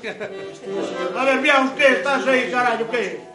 A ver, vea usted, estás aí, carallo, que?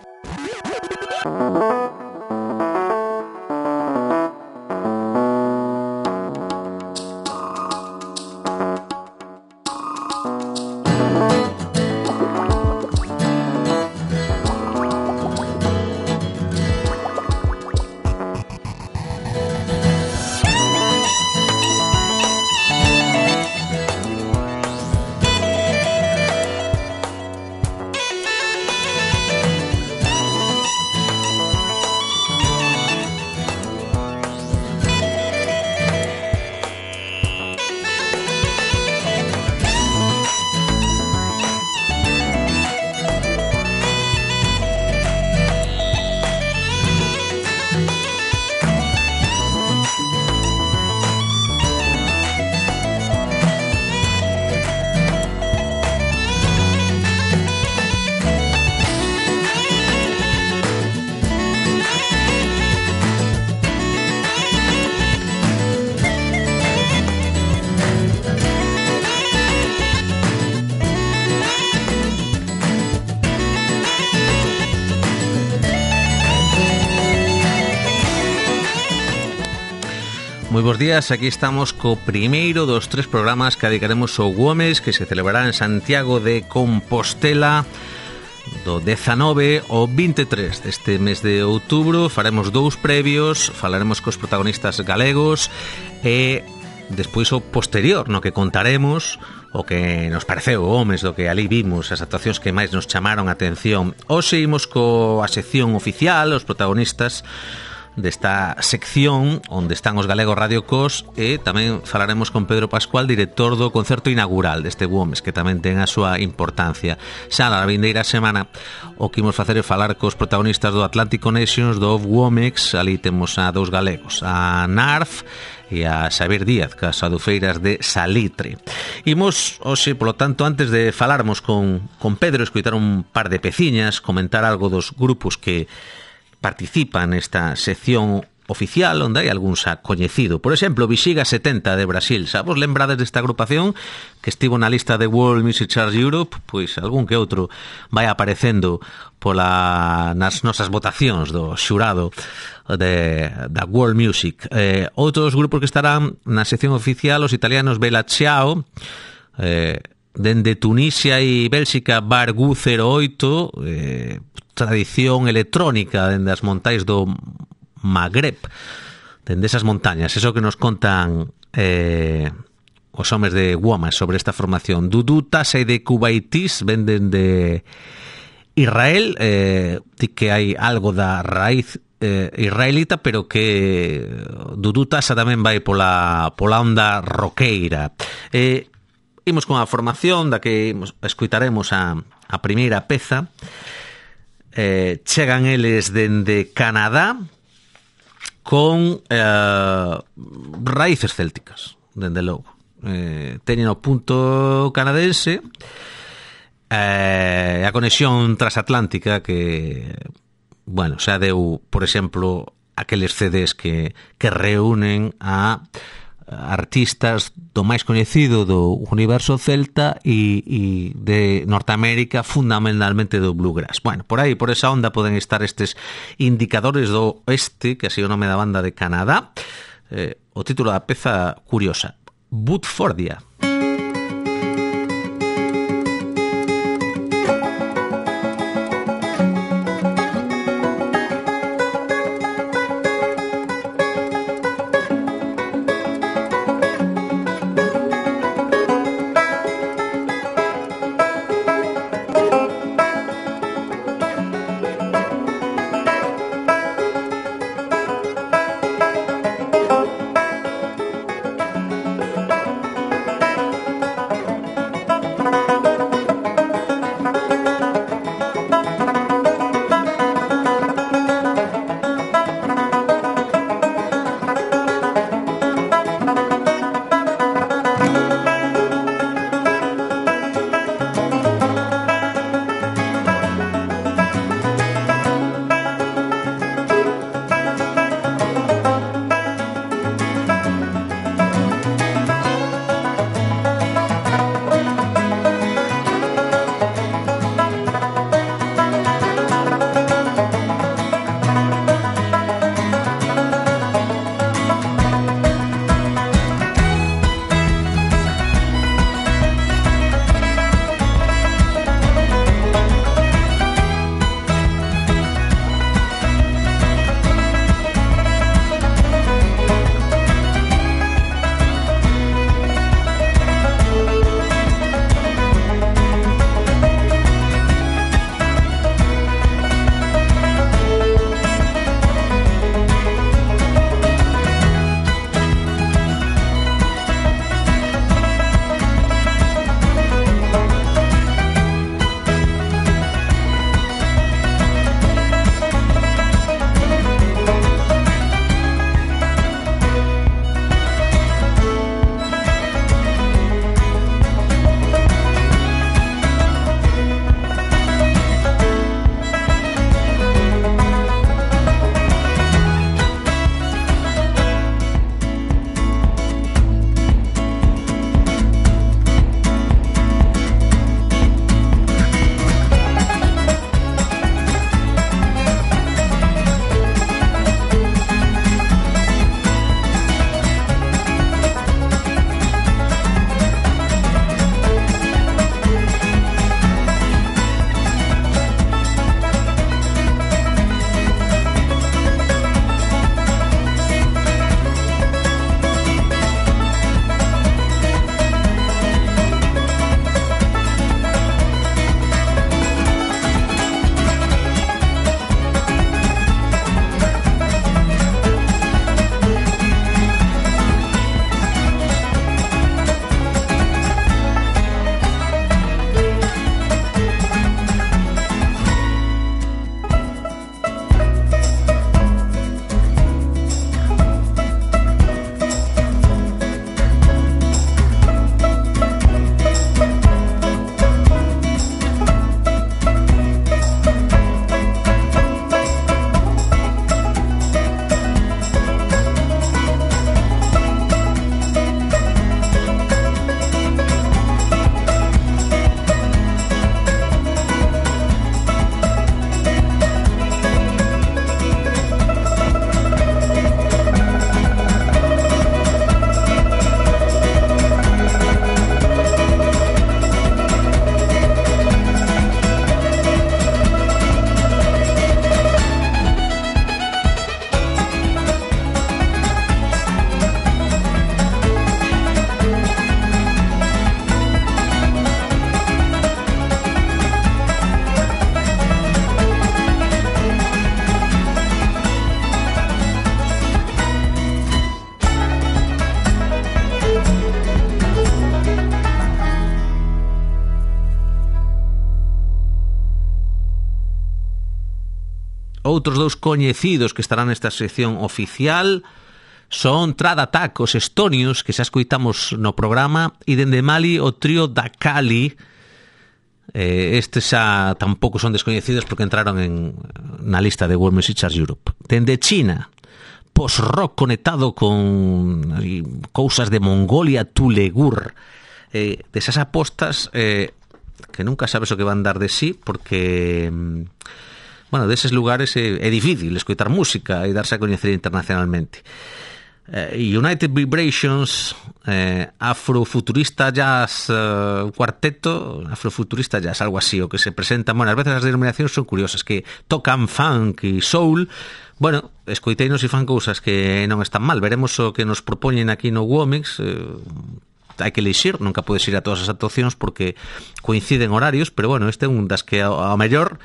Moi bons días, aquí estamos co primeiro dos 3 programas que dedicaremos ao Womes, que se celebrará en Santiago de Compostela do 19 ao 23 deste mes de outubro. Faremos 2 previos, falaremos cos protagonistas galegos e despois o posterior, no que contaremos o que nos pareceu o Womes, do que ali vimos, as actuacións que máis nos chamaron a atención. Hoxe imos coa sección oficial, os protagonistas desta sección onde están os galegos Radio Cos, e tamén falaremos con Pedro Pascual, director do concerto inaugural deste Womes, que tamén ten a súa importancia. Xa na vindeira semana o que imos facer é falar cos protagonistas do Atlantic Connections, do Womex. Ali temos a 2 galegos, a Narf e a Xavier Díaz, cas adufeiras de Salitre. Imos, hoxe, polo tanto, antes de falarmos con Pedro, escoitar un par de peciñas, comentar algo dos grupos que participa nesta sección oficial, onde hai algún xa coñecido. Por exemplo, Bexiga 70 de Brasil. Xa vos lembrades desta agrupación que estivo na lista de World Music Charts Europe? Pois algún que outro vai aparecendo nas nosas votacións do xurado da World Music. Outros grupos que estarán na sección oficial, os italianos Bella Ciao, dende Tunisia e Bélxica Bargu 08, tradición electrónica dende as montais do Magreb, dende esas montañas. Eso que nos contan os homes de Womes sobre esta formación. Dudu Tasa e de Kubaitis venden de Israel, que hai algo da raíz israelita, pero que Dudu Tasa tamén vai pola onda roqueira. Imos con a formación da que escuitaremos a primeira peza. Chegan eles dende Canadá con raíces célticas, dende logo. Teñen o punto canadense, a conexión transatlántica que, bueno, xa deu, por exemplo, aqueles CDs que reúnen a artistas do máis coñecido do universo celta e de Norteamérica, fundamentalmente do bluegrass. Bueno, por aí, por esa onda poden estar estes indicadores do oeste, que así o nome da banda de Canadá. O título da peza curiosa, Woodfordia. Outros dous coñecidos que estarán nesta sección oficial son Trad Attack, os estonios, que xa escoitamos no programa, e dende Mali o trío Dakali. Estes xa tampouco son descoñecidos porque entraron na lista de World Music Charts Europe. Dende China, post-rock conectado con cousas de Mongolia, Tulegur, desas apostas que nunca sabes o que van dar de sí, porque bueno, deses lugares é difícil escoitar música e darse a coñecer internacionalmente. United Vibrations, Afrofuturista Jazz, cuarteto Afrofuturista Jazz, algo así, o que se presentan. Bueno, a veces as denominacións son curiosas, que tocan funk e soul. Bueno, escoiteinos e fan cousas que non están mal. Veremos o que nos propoñen aquí no Womix. Hai que elixir, nunca podes ir a todas as actuacións porque coinciden horarios, pero bueno, este é un das que ao mellor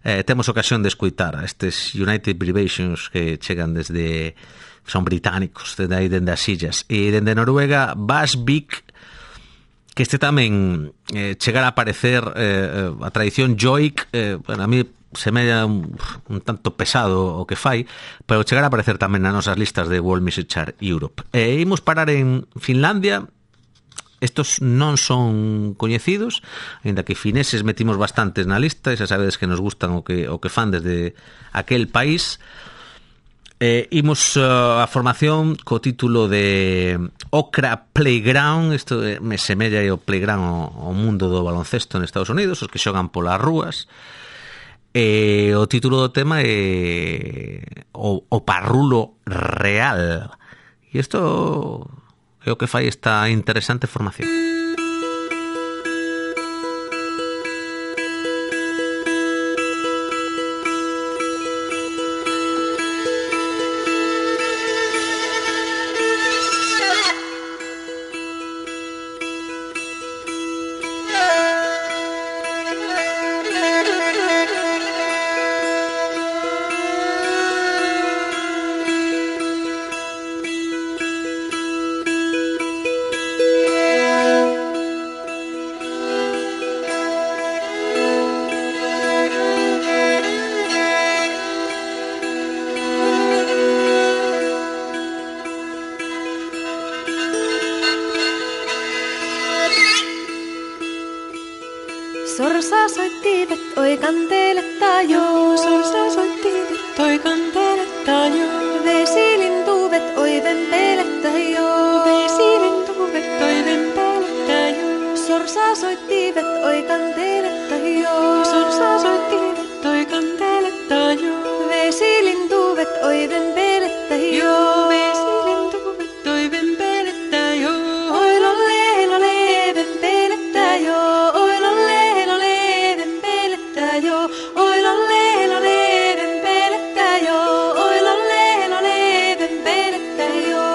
temos ocasión de escoitar a estes United Vibrations que chegan desde, son británicos, dende aí, dende as illas, e dende Noruega, Basvik, que este tamén chegar a aparecer a tradición joik, bueno, a mí se me un tanto pesado o que fai, pero chegar a aparecer tamén nas nosas listas de World Music Chart Europe. Imos parar en Finlandia. Estos non son coñecidos, ainda que fineses metimos bastantes na lista, e xa sabedes que nos gustan o que fan desde aquel país. Imos a formación co título de Okra Playground. Isto me semella o playground ao mundo do baloncesto en Estados Unidos, os que xogan polas rúas. O título do tema é o Parrulo Real. E isto é o que fai esta interesante formación. Sorsa soittiivet, oi kanteletta joo. Sorsa soittiivet, oi kanteletta joo. Vesilintuvet, oi vempelettä joo. Vesilintuvet, oi vempelettä joo. Sorsa soittiivet, oi kanteletta joo. Sorsa soittiivet, oi kanteletta joo. Vesilintuvet, oi vempelettä joo. Vesilintuvet, oi vempelettä joo. Oi lolle, lolle, vempelettä joo. Oi lolle, lolle, vempelettä joo. Oi lolle, lolle, vempelettä joo. Oi lolle, lolle, vempelettä joo.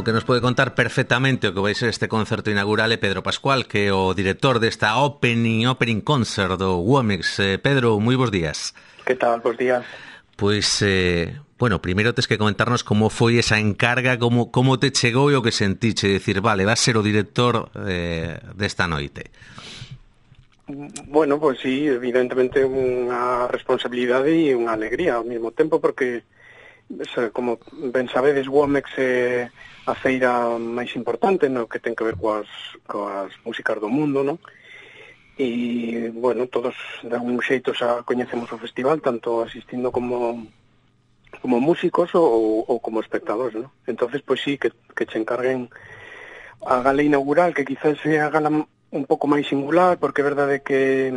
o que nos pode contar perfectamente o que vai ser este concerto inaugural é Pedro Pascual, que é o director desta opening concert do Womex. Pedro, moi bons días. Que tal? Bos días. Pois, bueno, primeiro tes que comentarnos como foi esa encarga, como te chegou e o que sentiche, decir, vale, vas ser o director desta noite. Bueno, pues sí, evidentemente unha responsabilidade e unha alegría ao mesmo tempo, porque como ben sabedes, Womex é a feira máis importante no que ten que ver coas músicas do mundo, non? E, bueno, todos de algún xeito xa coñecemos o festival, tanto asistindo como músicos ou como espectadores, non? Entonces, pois sí, que che encarguen a gala inaugural, que quizás sea a gala un pouco máis singular, porque é verdade que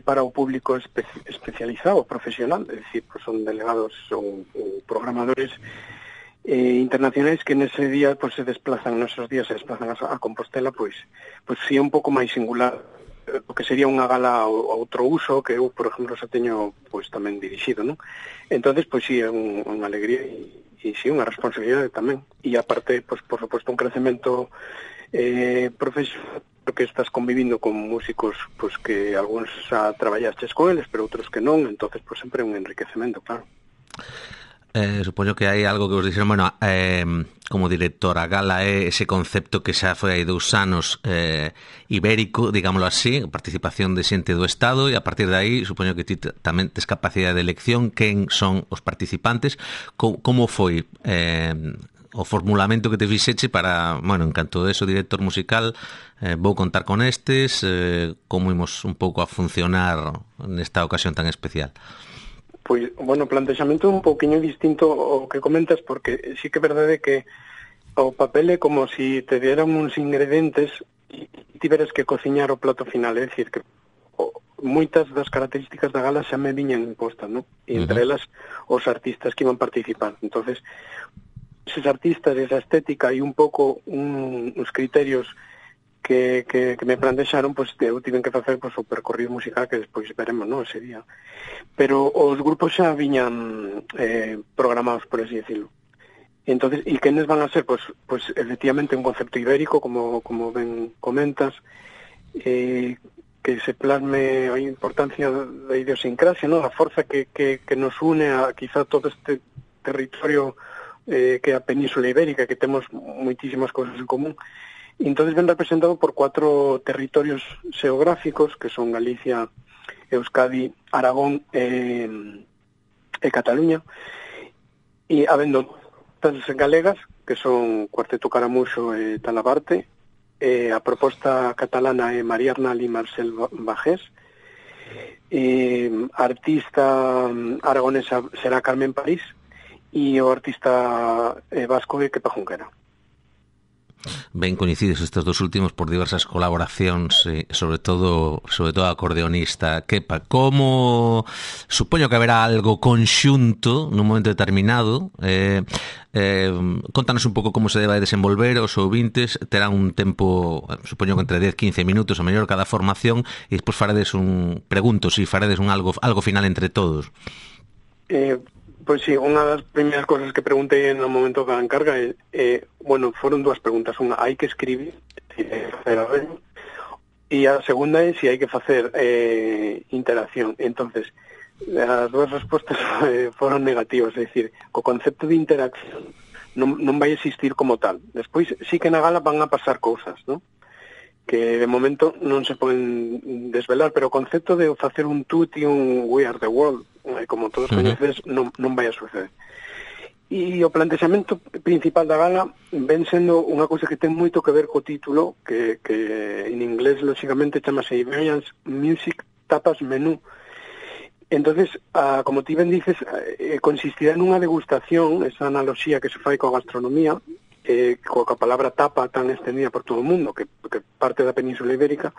para o público especializado, profesional, é dicir, pues son delegados ou programadores internacionais que nese día pues se desplazan, nesos días se desplazan a Compostela, pues sí é un pouco máis singular, porque sería unha gala a outro uso que eu, por exemplo, xa teño pues tamén dirixido, non? Entonces, pues sí, é unha alegría e sí, unha responsabilidade tamén. E aparte, pues por suposto, un crecemento profesional, porque estás convivindo con músicos pues que algúns xa traballastes con eles, pero outros que non, entonces pues sempre é un enriquecemento, claro. Supoño que hai algo que vos dixeron, bueno, como director, a gala é ese concepto que xa foi hai 2 anos ibérico, digámoslo así, participación de xente do Estado, e a partir de aí, supoño que ti tamén tes capacidade de elección, quen son os participantes, como foi o formulamento que te fixeche para, bueno, en canto de eso, director musical, vou contar con estes, como imos un pouco a funcionar nesta ocasión tan especial? Pois, bueno, o plantexamento é un pouquiño distinto ao que comentas, porque sí que é verdade que o papel é como se te dieran uns ingredientes e tiveras que cociñar o plato final, é dicir, que moitas das características da gala xa me viñan impostas, non? E entre elas os artistas que iban participar. Entonces, esos artistas, esa estética e un pouco uns criterios que me plantexaron, pues eu tiven que facer pues, o percorrido musical que despois veremos, non, ese día. Pero os grupos xa viñan programados, por así decirlo. Entonces, e quenes van a ser? Pues efectivamente un concepto ibérico, como ben comentas, que se plasme a importancia da idiosincrasia, non? A forza que nos une a quizá todo este territorio que a Península Ibérica, que temos moitísimas cousas en común. E entonces ven representado por 4 territorios xeográficos, que son Galicia, Euskadi, Aragón e Cataluña, e habendo as galegas, que son Cuarteto Caramuxo e Talabarte, a proposta catalana é María Arnal e Marcel Bajés, a artista aragonesa será Carmen París, e o artista vasco é Kepa Junquera. Ben coincides estes 2 últimos por diversas colaboracións, sobre todo a acordeonista Kepa. Como supoño que haberá algo conxunto nun momento determinado, contanos un pouco como se debe desenvolver. Os ouvintes terán un tempo, supoño que entre 10-15 minutos a mellor cada formación, e despois faredes faredes algo final entre todos. Pois sí, unha das primeiras cosas que preguntei no momento da encarga bueno, foron 2 preguntas. Unha, hai que escribir, e a segunda é se hai que facer interacción. Entonces, as 2 respostas foron negativas, é dicir, o concepto de interacción non vai existir como tal. Despois, sí que na gala van a pasar cousas, non? Que de momento non se poden desvelar, pero o concepto de facer un tutti, un We Are The World, como todos coñeces, non vai a suceder. E o plantexamento principal da gala ven sendo unha cousa que ten moito que ver co título, que en inglés, lógicamente, chamase Iberian Music Tapas Menú. Entonces, como ti ben dices, consistirá nunha degustación, esa analoxía que se fai coa gastronomía, coa palabra tapa tan extendida por todo o mundo, que parte da Península Ibérica,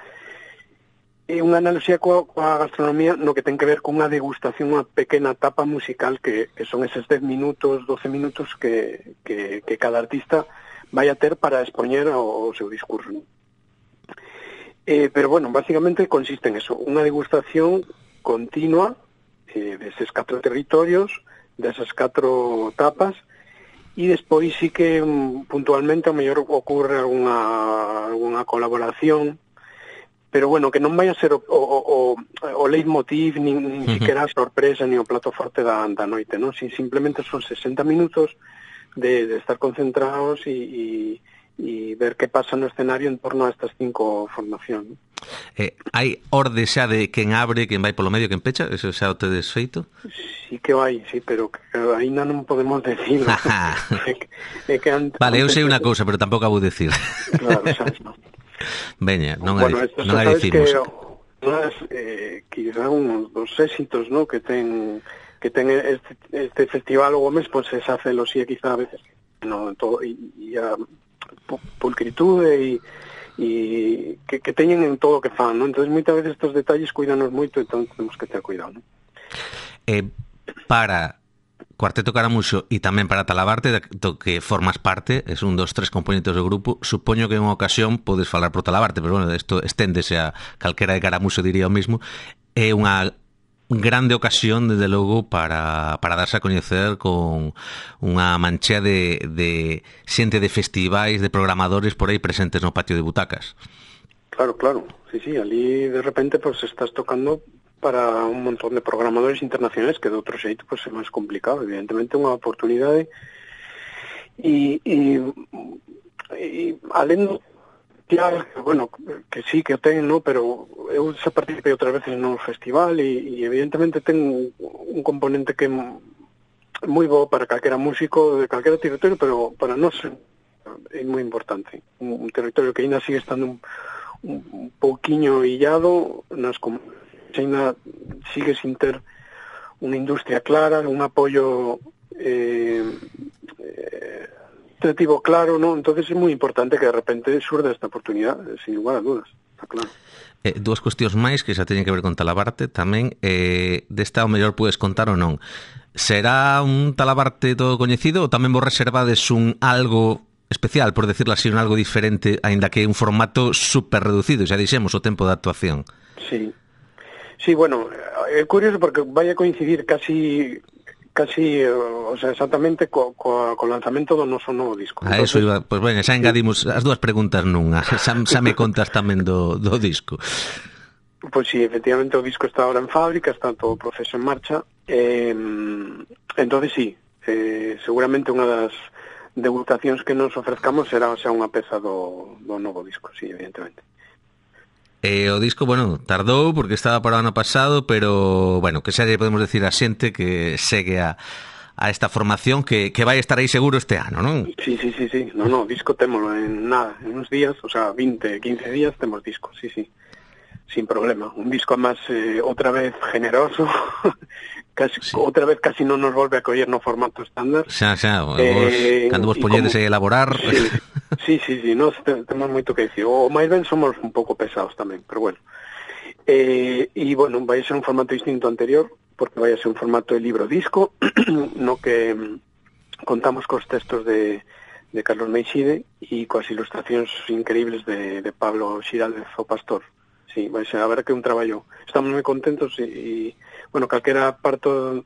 é unha analoxía coa gastronomía no que ten que ver con unha degustación, unha pequena tapa musical que son eses 10 minutos, 12 minutos que cada artista vai a ter para expoñer o seu discurso. Pero bueno, básicamente consiste en eso, unha degustación continua deses 4 territorios, desas 4 tapas, E despois sí que puntualmente ao mellor ocurre algunha colaboración, pero bueno, que non vai a ser o leitmotiv, nin siquiera a sorpresa, nin o plato forte da noite, non? Si simplemente son 60 minutos de estar concentrados e ver que pasa no escenario en torno a estas 5 formacións. Hai orde xa de quen abre, quen vai polo medio, quen pecha? Eso xa o tedes feito? Sí que vai, sí, pero ainda non podemos decirlo. Vale, eu sei unha cousa, pero tampouco a vou decir. Claro, xa non. Veña, non bueno, a dicimos. Quizá uns dos éxitos, ¿no?, que ten este festival o Gomes, pues es hacelo sí, quizá a veces no todo e a pulcritude e que teñen en todo o que fan, ¿no? Entonces moitas veces estos detalles cuidanos moito, entón temos que ter cuidado, ¿no? Para Cuarteto Caramuxo e tamén para Talabarte, do que formas parte, es un dos tres componentes do grupo, supoño que en unha ocasión podes falar pro Talabarte, pero bueno, isto esténdese a calquera de Caramuxo, diría o mismo. É unha grande ocasión, desde logo, para darse a coñecer con unha manchea de xente de festivais, de programadores por aí presentes no patio de butacas. Claro, sí, ali de repente pues estás tocando para un montón de programadores internacionales que de outro xeito pues é máis complicado, evidentemente unha oportunidade e alén claro, bueno, que sí que o ten, no, pero eu xa participei outras veces no festival e evidentemente ten un componente que é moi bo para calquera músico de calquera territorio, pero para nós é moi importante, un territorio que ainda sigue estando un pouquiño illado nas China sigue sin ter unha industria clara, un apoio administrativo claro, ¿no? Entonces é moi importante que de repente surda esta oportunidade, sin lugar a dudas, está claro. Dúas cuestións máis que xa teñen que ver con Talabarte tamén, desta o mellor podes contar ou non. Será un Talabarte todo coñecido ou tamén vos reservades un algo especial, por decirlo así, un algo diferente, aínda que un formato super reducido, xa dixemos, o tempo de actuación? Sí, bueno, é curioso porque vai a coincidir casi o sea, exactamente co lanzamento do noso novo disco. Entonces, eso iba, pues bueno, xa engadimos as dúas preguntas nunha. Xa me contas tamén do disco. Pois sí, efectivamente o disco está ahora en fábrica, está todo o proceso en marcha. Entonces sí, seguramente unha das degustacións que nos ofrezcamos será xa unha peza do novo disco, sí, evidentemente. O disco, bueno, tardou porque estaba para o ano pasado, pero, bueno, que xa lle podemos decir a xente que segue a esta formación que vai estar aí seguro este ano, non? Sí. No, disco témolo en nada, en uns días, o sea, 20, 15 días temos disco, sí. Sin problema. Un disco máis outra vez generoso, outra vez casi non nos volve a coller no formato estándar. Xa, cando vos poñedes a elaborar... Sí, nós temos moito que dicir. O máis ben somos un pouco pesados tamén, pero bueno. E, bueno, vai ser un formato distinto ao anterior, porque vai ser un formato de libro-disco, no que contamos cos textos de Carlos Meixide e coas ilustracións increíbles de Pablo Xiraldez, o Pastor. Sí, vai ser, a ver que un traballo. Estamos moi contentos e bueno, calquera parto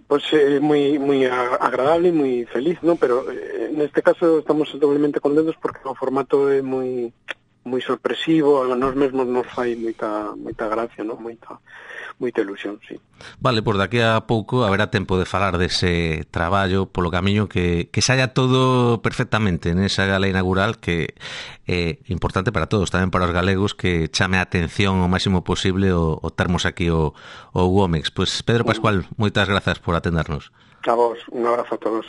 pues moi agradable e moi feliz, ¿no? Pero neste caso estamos doblemente contentos porque o formato é moi sorpresivo, a nós mesmos nos fai moita gracia, ¿no? Moita ilusión, sí. Vale, pois daqui a pouco haberá tempo de falar dese traballo polo camiño que saia todo perfectamente nesa gala inaugural que é importante para todos, tamén para os galegos, que chame a atención o máximo posible o termos aquí o Womex. Pois Pedro Pascual, moitas grazas por atendernos. A vos, un abrazo a todos.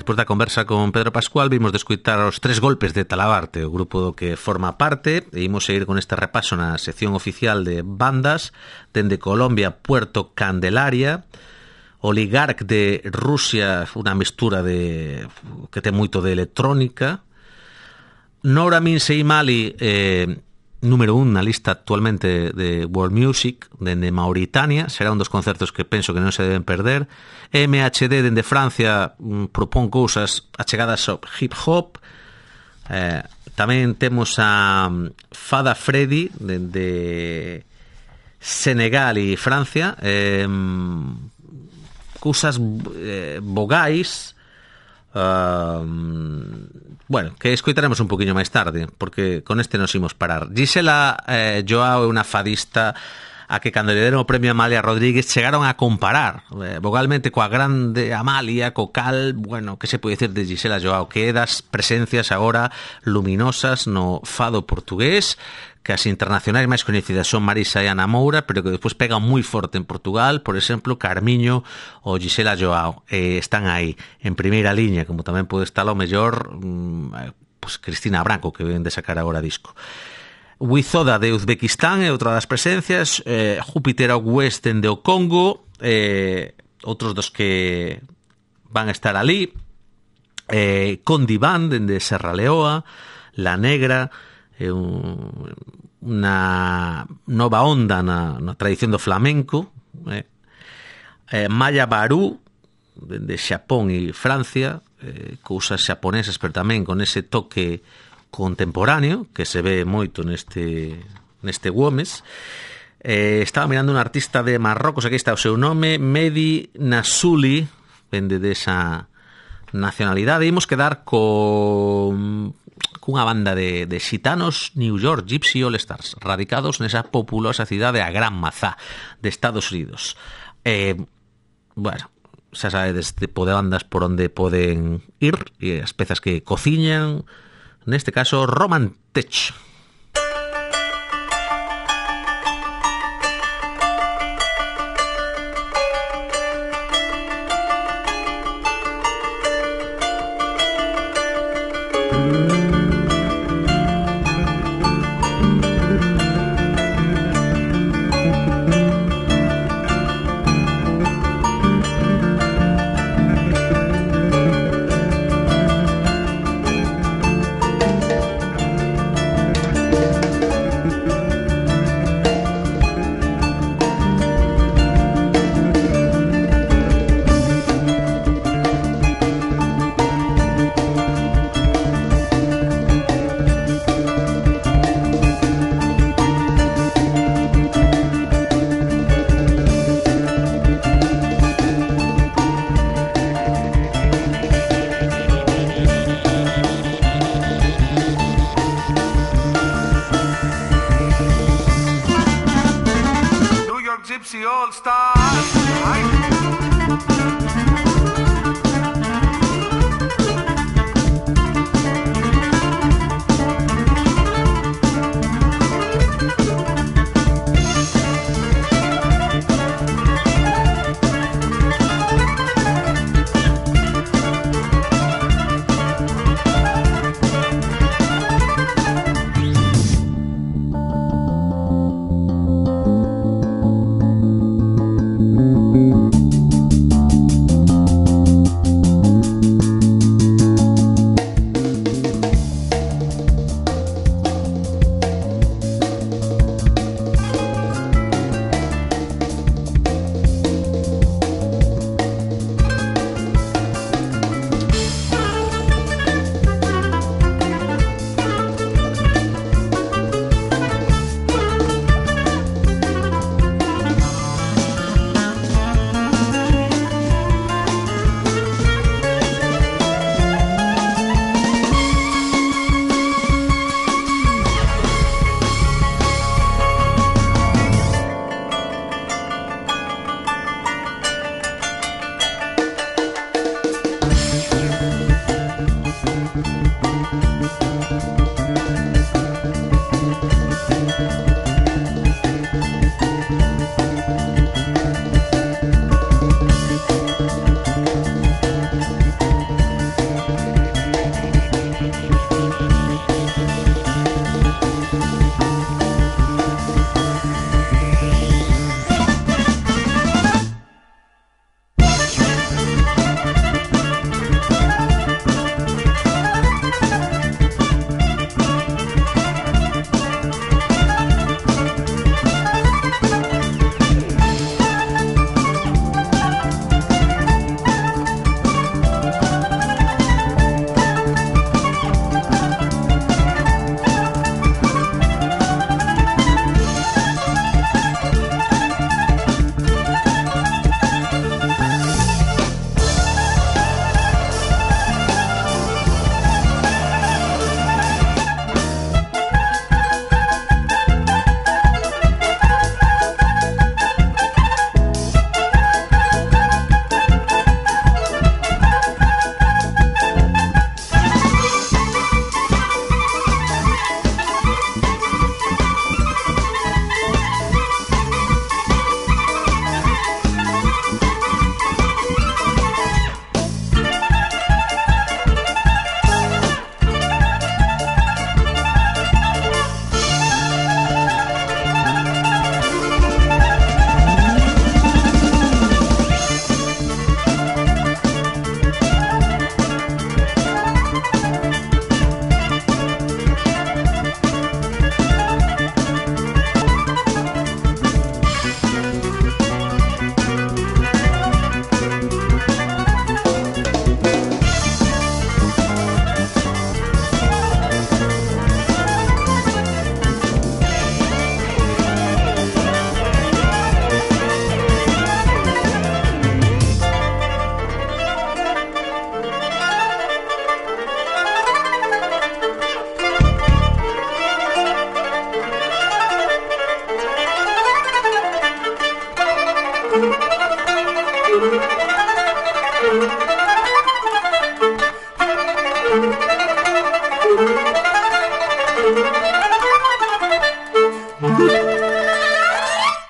Despois da conversa con Pedro Pascual vimos de escutar os tres golpes de Talabarte, o grupo do que forma parte, e imos seguir con este repaso na sección oficial de bandas, dende Colombia, Puerto Candelaria, Oligarc de Rusia, unha mestura de que ten moito de electrónica, Nora Minsei Mali, número 1 na lista actualmente de World Music, dende Mauritania, será un dos concertos que penso que non se deben perder. MHD dende Francia propón cousas achegadas ao hip hop. Tamén temos a Fada Freddy dende Senegal e Francia, cousas vogais, bueno, que escoitaremos un poquinho máis tarde, porque con este nos imos parar. Gisela Joao é unha fadista a que cando lle deron o premio Amalia Rodríguez chegaron a comparar vogalmente coa grande Amalia, co cal, bueno, que se pode dicir de Gisela Joao, que é das presencias agora luminosas no fado portugués, que as internacionais máis coñecidas son Marisa e Ana Moura, pero que despois pegan moi forte en Portugal, por exemplo, Carmiño ou Gisela Joao, están aí en primeira liña, como tamén pode estar ao mellor pues Cristina Branco, que ven de sacar agora disco. Wizoda de Uzbekistán é outra das presencias, Júpiter Out West dende o Congo, outros dos que van a estar ali, Condiván dende Serra Leoa, La Negra, unha nova onda na tradición do flamenco, Maya Baru dende Xapón e Francia, cousas xaponesas pero tamén con ese toque contemporáneo que se ve moito neste Gomes, Estaba mirando un artista de Marrocos, aquí está o seu nome, Mehdi Nassouli, vende desa nacionalidade. Imos quedar cunha banda de xitanos New York Gypsy All Stars, radicados nesa populosa cidade a Gran Mazá de Estados Unidos. Bueno, xa sabedes tipo de bandas por onde poden ir e as pezas que cociñan, neste caso Roman Tech. Gypsy All Stars.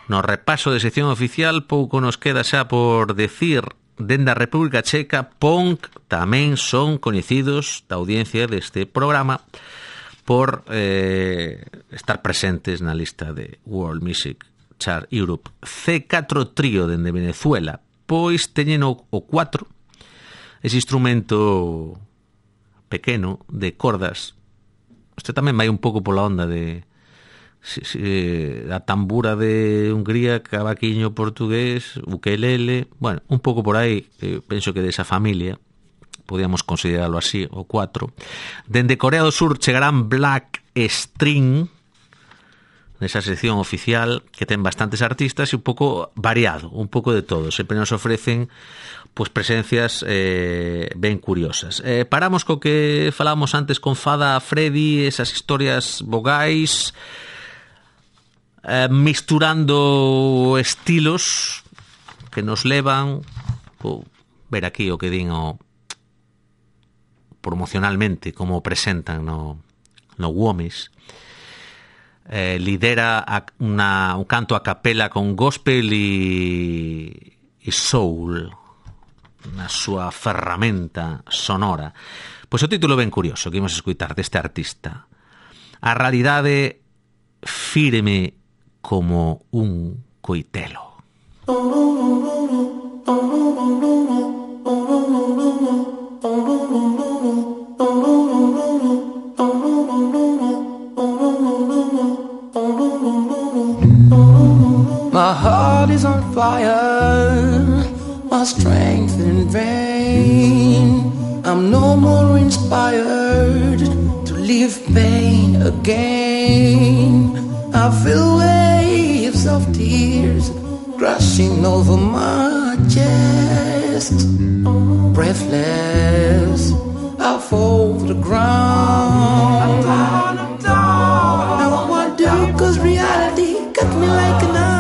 No repaso de sección oficial pouco nos queda xa por decir. Dende a República Checa, Punk tamén son coñecidos da audiencia deste programa por estar presentes na lista de World Music Chart Europe. C4 Trío dende Venezuela, pois teñen o 4, ese instrumento pequeno de cordas. Este tamén vai un pouco pola onda de a tambura de Hungría, cavaquiño portugués, ukelele, bueno, un pouco por aí, penso que desa familia, podíamos considerarlo así, o 4. Dende Corea do Sur chegarán Black String, nesa sección oficial, que ten bastantes artistas e un pouco variado, un pouco de todo. Sempre nos ofrecen pues presencias ben curiosas. Paramos co que falamos antes con Fada Freddy, esas historias vogais, misturando estilos que nos levan ver aquí o que din promocionalmente como presentan no Womes. Lidera un canto a capela con gospel e soul na súa ferramenta sonora. Pois o título ben curioso que imos escutar deste artista: a realidade firme como un coitelo. My heart is on fire, my strength in vain. I'm no more inspired to live pain again. I feel waves of tears crashing over my chest. Breathless, I fall to the ground. Now what do? 'Cause reality cut me like a knife.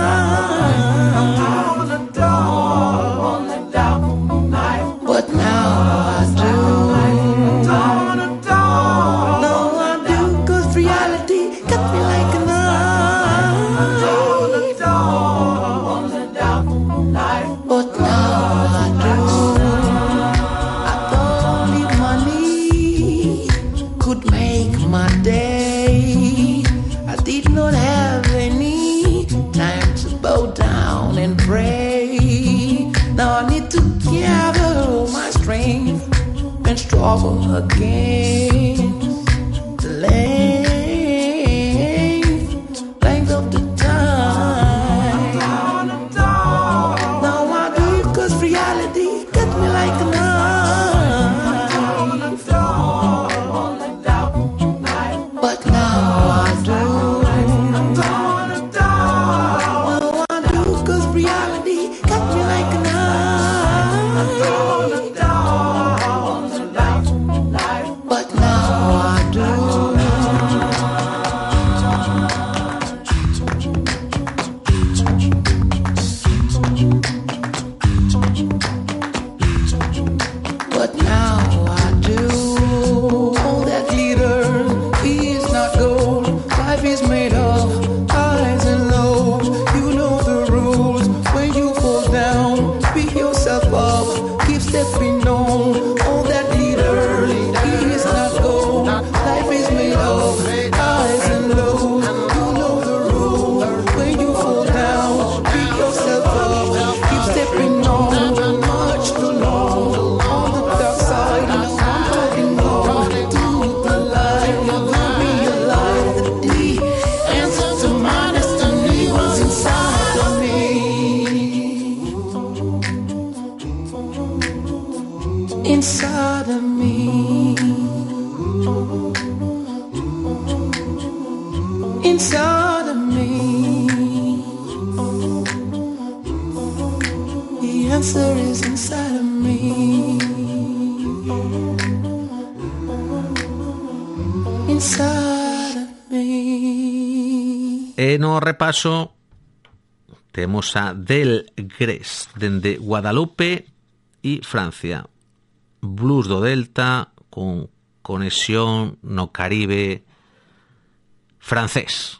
But now I do. Now I do, 'cause reality cut me like a knife. But now I do. I thought only money could make my day. I did not have any time to bow down and pray. Now I need to gather all my strength and struggle again. The length of the time. Now I do, 'cause reality cut me like a knife. But now I do. Now I do, 'cause reality cut me like a knife. But now I do. But now I do. All that glitter is not gold. Life is made of highs and lows. You know the rules. When you fall down, pick yourself up, keep stepping on. All that glitter is not gold. Life is made of highs and lows. You know the rules. When you fall down, pick yourself up, keep stepping on. Much too long on the dark side. Now I'm holding on to the light. Never realize that the answer to my destiny was inside of me. Inside of me. Inside of me. The answer is inside of me. Inside of me. E no repaso temos a Del Gres dende Guadalupe e Francia. Blues do Delta con conexión no Caribe francés.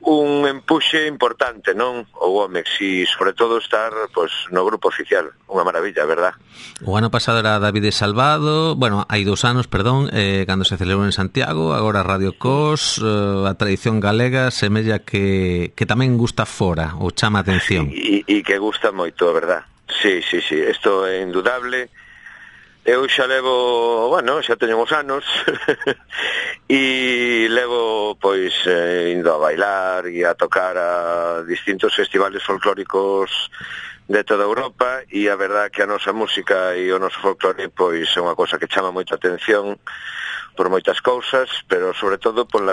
un empuxe importante, non? O Womex, e sobre todo estar pois no grupo oficial, unha maravilla, verdad? O ano pasado era David Salvado, bueno, hai 2 anos, perdón, cando se celebrou en Santiago, agora Radio Cos, a tradición galega semella que tamén gusta fora, ou chama a atención. E que gusta moito, verdad? Sí, isto é indudable. Eu xa levo, bueno, xa teño uns anos e levo, pois, indo a bailar e a tocar a distintos festivales folclóricos de toda Europa, e a verdad que a nosa música e o noso folclore, pois, é unha cosa que chama moita atención por moitas cousas, pero sobre todo polo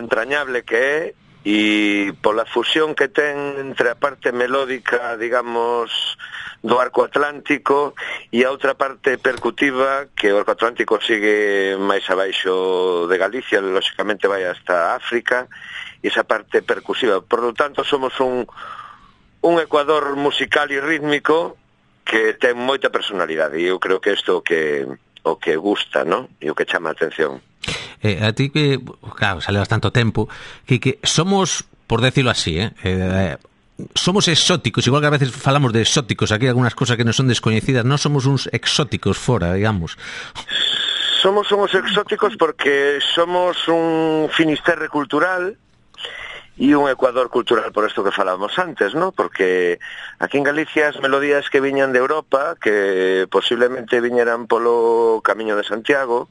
entrañable que é e pola fusión que ten entre a parte melódica, digamos, do arco atlántico e a outra parte percutiva, que o arco atlántico sigue máis abaixo de Galicia, lóxicamente vai hasta África, e esa parte percusiva. Por lo tanto, somos un ecuador musical e rítmico que ten moita personalidade, e eu creo que isto o que gusta, ¿no? E o que chama a atención. A ti que, claro, salevas tanto tempo, que somos, por decirlo así, somos exóticos, igual que a veces falamos de exóticos, aquí algunas cosas que non son descoñecidas, non somos uns exóticos fora, digamos. Somos uns exóticos porque somos un Finisterre cultural e un Ecuador cultural, por isto que falábamos antes, ¿no? Porque aquí en Galicia as melodías que viñan de Europa, que posiblemente viñeran polo Camiño de Santiago,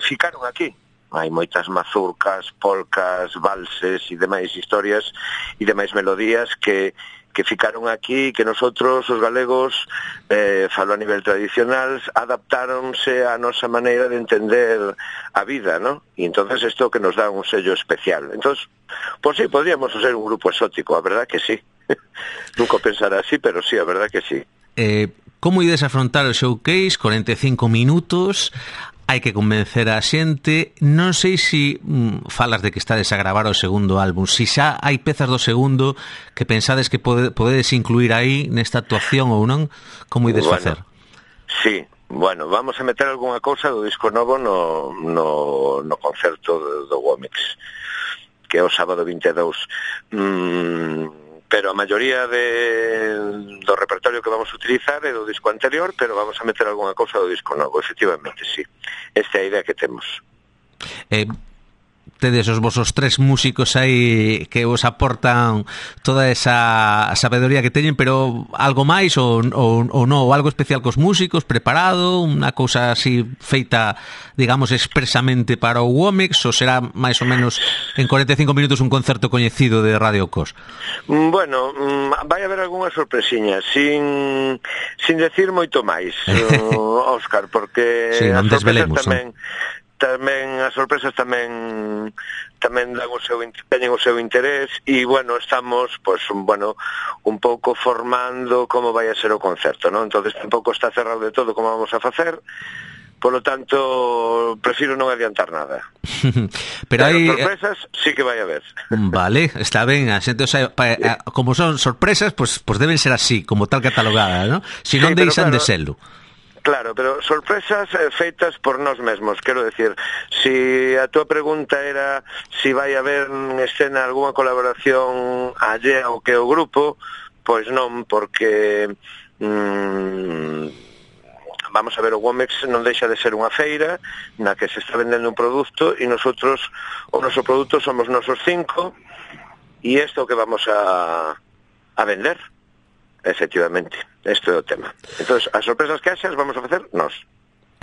ficaron aquí. Hai moitas mazurcas, polcas, valses e demais historias e demais melodías que ficaron aquí, que nosotros, os galegos, falo a nivel tradicional, adaptáronse á nosa maneira de entender a vida, ¿no? E entonces isto que nos dá un sello especial. Entonces, pues sí, podríamos ser un grupo exótico, a verdad que sí. Nunca pensara así, pero sí, a verdad que sí. Como ides afrontar o showcase? 45 minutos, hai que convencer a xente. Non sei se falas de que estades a gravar o segundo álbum, se xa hai pezas do segundo que pensades que podedes incluir aí nesta actuación ou non, como ides facer? Sí, bueno, vamos a meter algunha cousa do disco novo no concerto do Womex, que é o sábado 22. Pero a maioría do repertorio que vamos a utilizar é do disco anterior, pero vamos a meter algunha cousa do disco novo, efectivamente, sí. Esta é a idea que temos. Tedes os vosos 3 músicos aí que vos aportan toda esa sabedoría que teñen, pero algo máis ou non, ou algo especial cos músicos preparado, unha cousa así feita, digamos, expresamente para o Womex, ou será máis ou menos en 45 minutos un concerto coñecido de Radio Cos? Bueno, vai haber algunhas sorpresiñas sin decir moito máis, Óscar, porque sí, as sorpresas tamén as sorpresas tamén teñen o seu interés, e bueno, estamos pois un pouco formando como vai a ser o concerto, ¿no? Entonces tampouco está cerrado de todo como vamos a facer. Polo tanto, prefiro non adiantar nada. Pero hai sorpresas sí que vai haber. Vale, está ben, a xente, o sea, como son sorpresas, pues deben ser así, como tal catalogadas, ¿no? Si non sí, deixan de serlo. Claro, pero sorpresas feitas por nós mesmos, quero decir, si a túa pregunta era si vai haber en escena algunha colaboración allea ao que o grupo, pois non, porque vamos a ver, o Womex non deixa de ser unha feira na que se está vendendo un produto, e nosotros, o noso produto somos nosos 5, e isto que vamos a vender. Efectivamente, isto é o tema. Entonces, as sorpresas que haxas vamos a facer nós.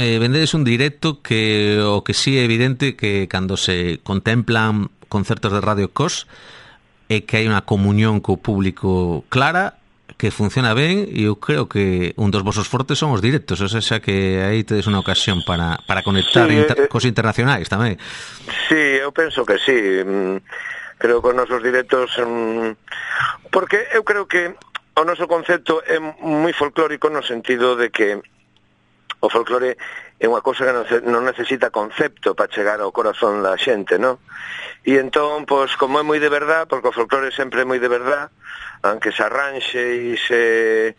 Vendedes un directo que o que sí é evidente que cando se contemplan concertos de Radio Cos é que hai unha comunión co público clara, que funciona ben, e eu creo que un dos vosos fortes son os directos, o sea que aí tedes unha ocasión para conectar cos internacionais tamén. Sí, eu penso que sí. Creo que os nosos directos porque eu creo que o noso concepto é moi folclórico no sentido de que o folclore é unha cousa que non necesita concepto para chegar ao corazón da xente, non? E entón, pois, como é moi de verdad, porque o folclore sempre é moi de verdad, aunque se arranxe e se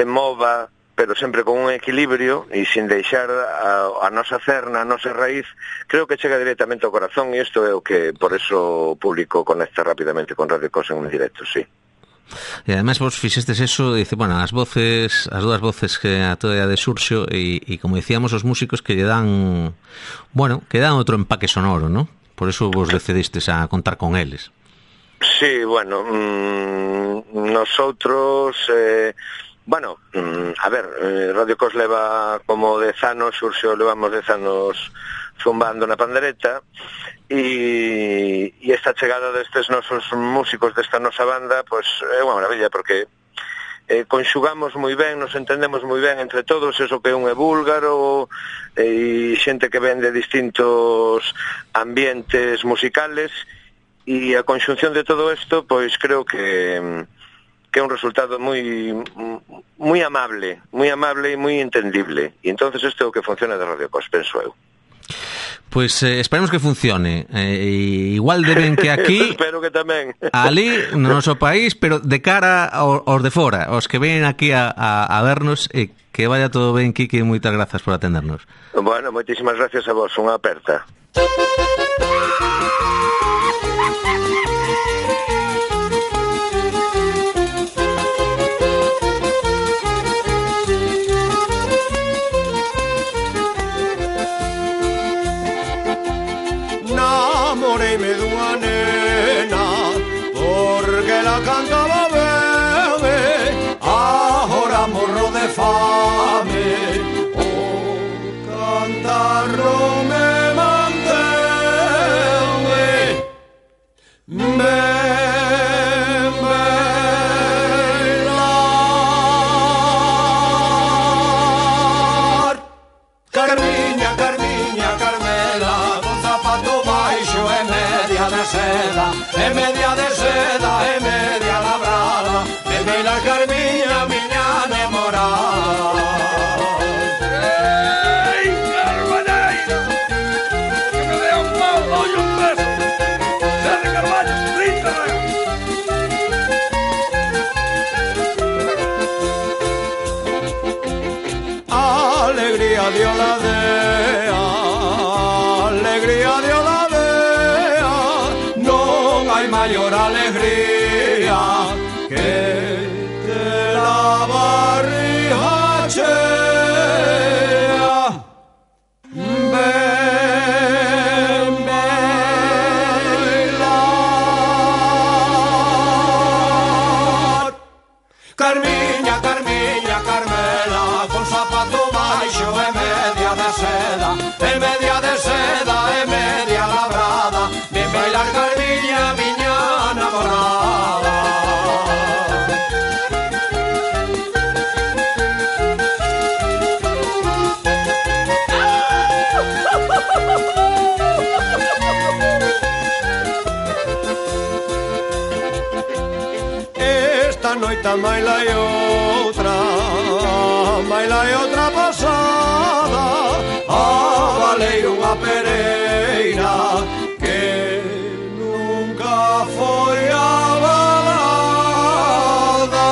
mova pero sempre con un equilibrio e sin deixar a nosa cerna, a nosa raíz, creo que chega directamente ao corazón, e isto é o que por eso o público conecta rapidamente con Radio Cos en un directo, sí. E ademais vos fixestes eso, dice, bueno, as dúas voces que a toda de Xurxo e como dicíamos os músicos que lle dan, bueno, que dan outro empaque sonoro, ¿no? Por eso vos decidistes a contar con eles. Sí, bueno, nosotros, bueno, a ver, Radio Cos leva como 10 anos, Xurxo levamos 10 anos zumbando na pandereta, e esta chegada destes nosos músicos, desta nosa banda, pois é unha maravilla, porque conxugamos moi ben, nos entendemos moi ben entre todos, eso que un é búlgaro e xente que ven de distintos ambientes musicales, e a conxunción de todo isto, pois creo que é un resultado moi amable e moi entendible, e entonces isto é o que funciona de Radio Cos, penso eu. Pois esperemos que funcione. Igual de ben que aquí. Espero que tamén. Ali, no noso país, pero de cara aos de fora, os que ven aquí a vernos, e que vaya todo ben, Quique, moitas grazas por atendernos. Bueno, moitísimas gracias a vos, unha aperta. Namoreime dunha nena porque la cantaba ben, agora morro de fame, o cantar non me mantén. Bailar Carmiña, Carmiña, Carmela, con zapato baixo e media de seda, e media de seda, e media labrada, e bailar Carmiña, miña namorada. Ei, Carballeira, que me dea un pau, dolle un beso, Sede Carballo, 30 regas. Alegría de Oladea, alegría de Oladea, non hai maior alegría que la barriga chea. Ben bailar Carmiña, Carmiña, Carmela, con zapato baixo e media de seda, e media de seda, e media labrada, ben bailar Carmiña, miña namorada. Esta noite maila e outra pasada, a valeiro unha pereira que nunca foi a balada.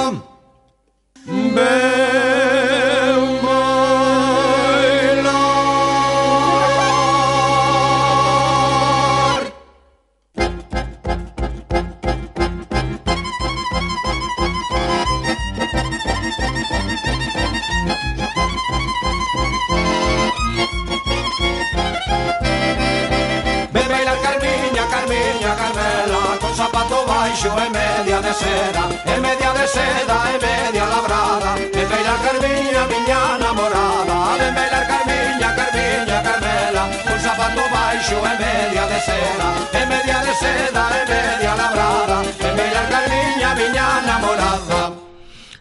Ben bailar Carmiña, Carmiña, Carmela, con zapato baixo e media de seda, e media de seda, e media labrada, ben bailar Carmiña, miña namorada. Ben bailar Carmiña, Carmiña, Carmela, con zapato baixo e media de seda, e media de seda, e media labrada, ben bailar Carmiña, miña namorada.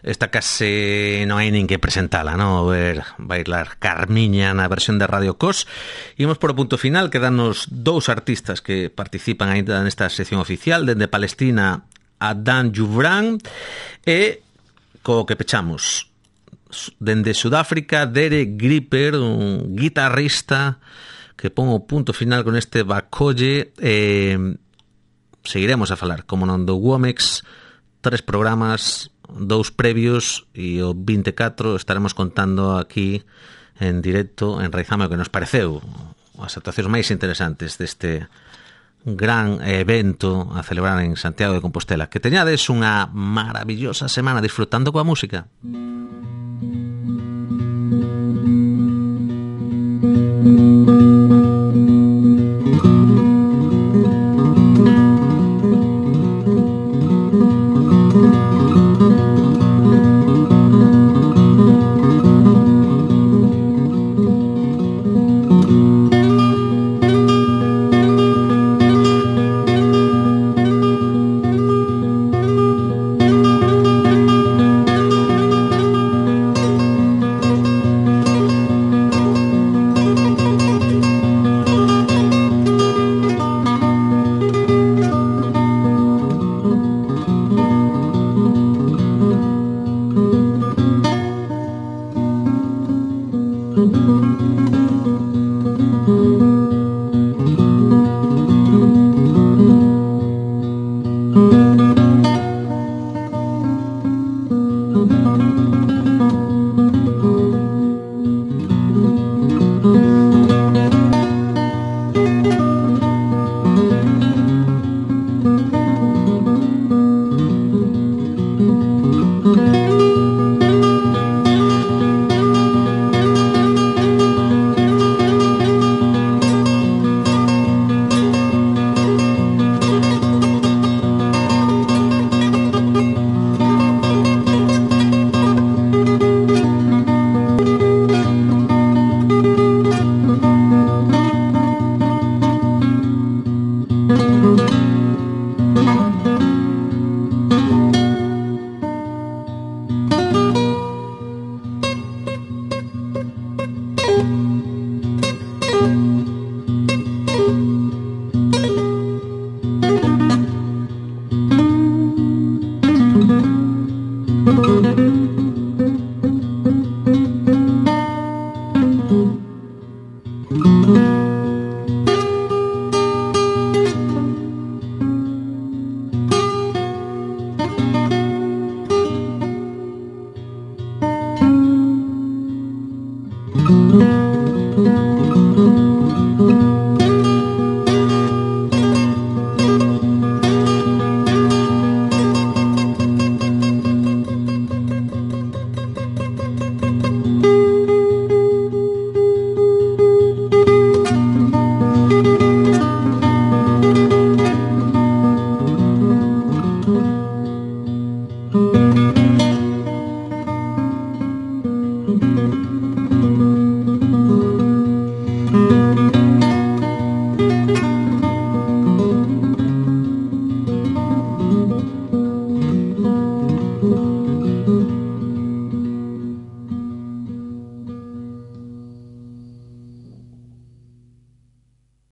Esta case non hai nin que presentala, non? Ver bailar Carmiña na versión de Radio Cos. Imos por o punto final, quedanos dous artistas que participan ainda nesta sección oficial, dende Palestina a Dan Jubran, e co que pechamos dende Sudáfrica, Derek Gripper, un guitarrista que pon o punto final con este Bacolle. Seguiremos a falar, como non, do Womex, 3 programas dous previos e o 24 estaremos contando aquí en directo en Raizame o que nos pareceu as actuacións máis interesantes deste gran evento a celebrar en Santiago de Compostela. Que teñades unha maravillosa semana disfrutando coa música.